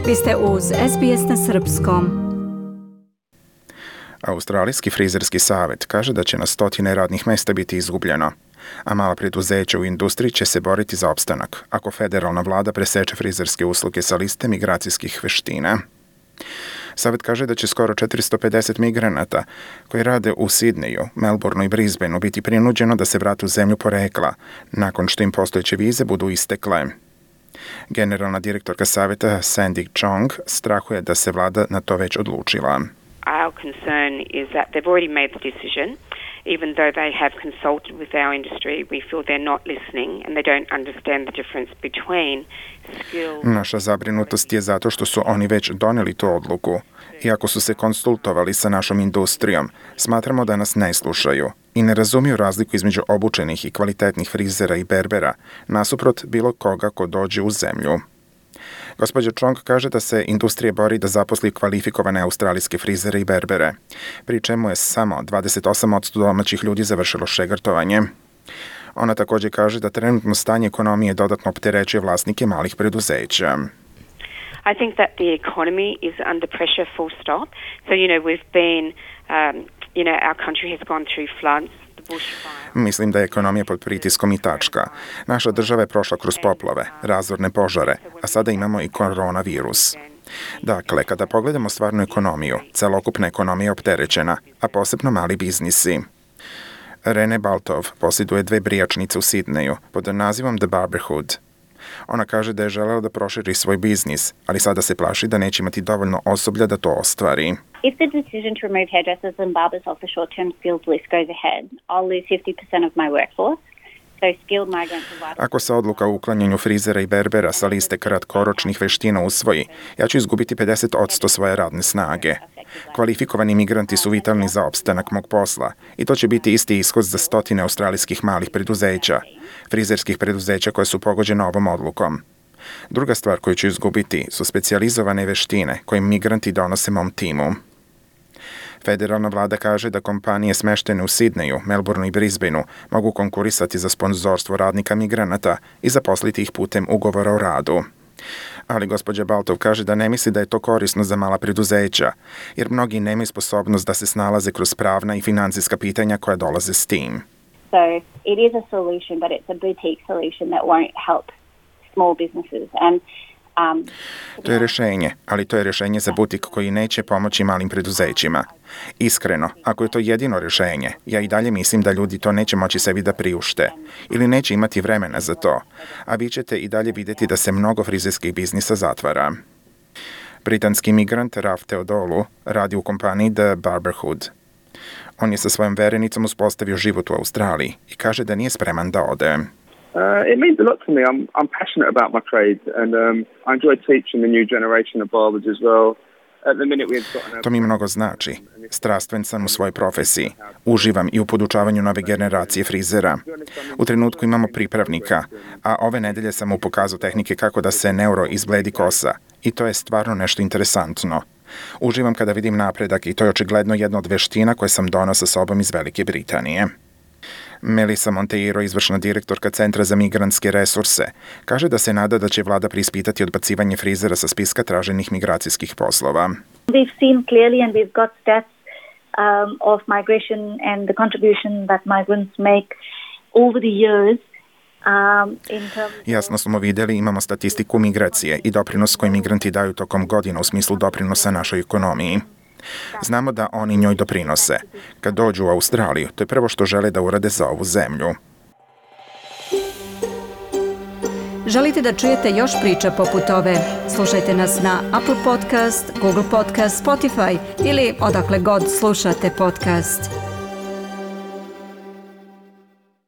Vi ste uz SBS na srpskom. Australijski frizerski savjet kaže da će na stotine radnih mjesta biti izgubljeno, a mala preduzeća u industriji će se boriti za opstanak ako federalna vlada preseče frizerske usluge sa liste migracijskih veština. Savjet kaže da će skoro 450 migranata koji rade u Sidneju, Melbourneu i Brisbaneu biti prinuđeno da se vrate u zemlju porekla nakon što im postojeće vize budu istekle. Generalna direktorka savjeta Sandy Chong strahuje da se vlada na to već odlučila. Our concern is that they've already made the decision. Even though they have consulted with our industry, we feel they're not listening and they don't understand the difference between skills. Naša zabrinutost je zato što su oni već doneli tu odluku. Iako su se konsultovali sa našom industrijom, smatramo da nas ne slušaju i ne razumiju razliku između obučenih i kvalitetnih frizera i berbera, nasuprot bilo koga ko dođe u zemlju. Gospođa Chong kaže da se industrija bori da zaposli kvalifikovane australijske frizere i berbere, pri čemu je samo 28% domaćih ljudi završilo šegrtovanje. Ona također kaže da trenutno stanje ekonomije dodatno opterećuje vlasnike malih preduzeća. I think that the economy is under pressure, full stop. So, we've been, our country has gone through floods. Mislim da je ekonomija pod pritiskom i tačka. Naša država je prošla kroz poplave, razorne požare, a sada imamo i koronavirus. Dakle, kada pogledamo stvarnu ekonomiju, celokupna ekonomija je opterećena, a posebno mali biznisi. Rene Baltov posjeduje 2 brijačnice u Sidneju pod nazivom The Barberhood. Ona kaže da je želela da proširi svoj biznis, ali sada se plaši da neće imati dovoljno osoblja da to ostvari. If the decision to remove hairdressers and barbers off the short-term skills list goes ahead, I'll lose 50% of my workforce. Ako se odluka o uklanjanju frizera i berbera sa liste kratkoročnih veština usvoji, ja ću izgubiti 50% svoje radne snage. Kvalifikovani migranti su vitalni za opstanak mog posla i to će biti isti ishod za stotine australijskih malih preduzeća, frizerskih preduzeća koje su pogođene ovom odlukom. Druga stvar koju ću izgubiti su specijalizovane veštine koje migranti donose mom timu. Federalna vlada kaže da kompanije smeštene u Sidneju, Melbourneu i Brisbaneu mogu konkurisati za sponzorstvo radnika migranata i zaposliti ih putem ugovora o radu. Ali gospođa Baltov kaže da ne misli da je to korisno za mala preduzeća, jer mnogi nemaju sposobnost da se snalaze kroz pravna i financijska pitanja koja dolaze s tim. So it is a solution, but it's a boutique solution that won't help small businesses. To je rješenje, ali to je rješenje za butik koji neće pomoći malim preduzećima. Iskreno, ako je to jedino rješenje, ja i dalje mislim da ljudi to neće moći sebi da priušte ili neće imati vremena za to, a vi ćete i dalje vidjeti da se mnogo frizerskih biznisa zatvara. Britanski migrant Raf Teodolu radi u kompaniji The Barberhood. On je sa svojom verenicom uspostavio život u Australiji i kaže da nije spreman da ode. It means a lot to me. I'm passionate about my trade and I enjoy teaching the new generation of barbers as well. To mi mnogo znači. Strastven sam u svojoj profesiji. Uživam i u podučavanju nove generacije frizera. U trenutku imamo pripravnika, a ove nedelje sam mu pokazao tehnike kako da se neuro izbledi kosa. I to je stvarno nešto interesantno. Uživam kada vidim napredak i to je očigledno jedna od veština koje sam donao sa sobom iz Velike Britanije. Melissa Monteiro, izvršna direktorka Centra za migrantske resurse, kaže da se nada da će vlada preispitati odbacivanje frizera sa spiska traženih migracijskih poslova. We've seen clearly and we've got stats of migration and the contribution that migrants make over the years. Jasno smo vidjeli, imamo statistiku migracije i doprinos koji migranti daju tokom godina u smislu doprinosa našoj ekonomiji. Znamo da oni njoj doprinose. Kad dođu u Australiju, to je prvo što žele da urade za ovu zemlju. Želite da čujete još priča poput ove? Slušajte nas na Apple Podcast, Google Podcast, Spotify ili odakle god slušate podcast.